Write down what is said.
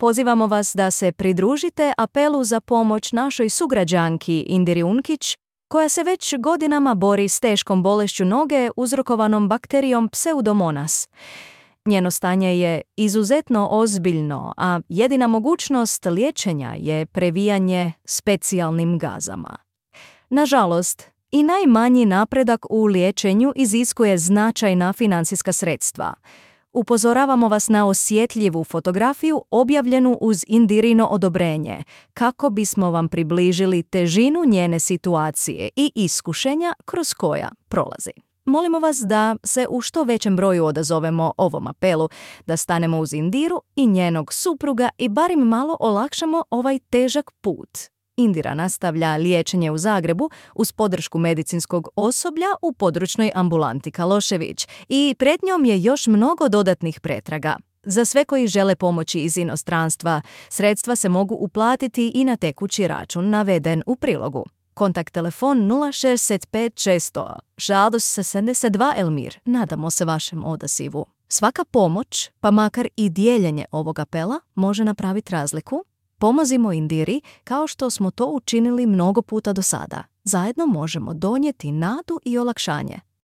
pozivamo vas da se pridružite apelu za pomoć našoj sugrađanki Indiri Unkić, koja se već godinama bori s teškom bolešću noge uzrokovanom bakterijom Pseudomonas. Njeno stanje je izuzetno ozbiljno, a jedina mogućnost liječenja je previjanje specijalnim gazama. Nažalost, i najmanji napredak u liječenju iziskuje značajna financijska sredstva. Upozoravamo vas na osjetljivu fotografiju objavljenu uz Indirino odobrenje, kako bismo vam približili težinu njene situacije i iskušenja kroz koja prolazi. Molimo vas da se u što većem broju odazovemo ovom apelu, da stanemo uz Indiru i njenog supruga i barem malo olakšamo ovaj težak put. Indira nastavlja liječenje u Zagrebu uz podršku medicinskog osoblja u područnoj ambulanti Kalošević i pred njom je još mnogo dodatnih pretraga. Za sve koji žele pomoći iz inostranstva, sredstva se mogu uplatiti i na tekući račun naveden u prilogu. Kontakt telefon 065 600 62 Elmir. Nadamo se vašem odasivu. Svaka pomoć, pa makar i dijeljenje ovog apela, može napraviti razliku. Pomozimo Indiri kao što smo to učinili mnogo puta do sada. Zajedno možemo donijeti nadu i olakšanje.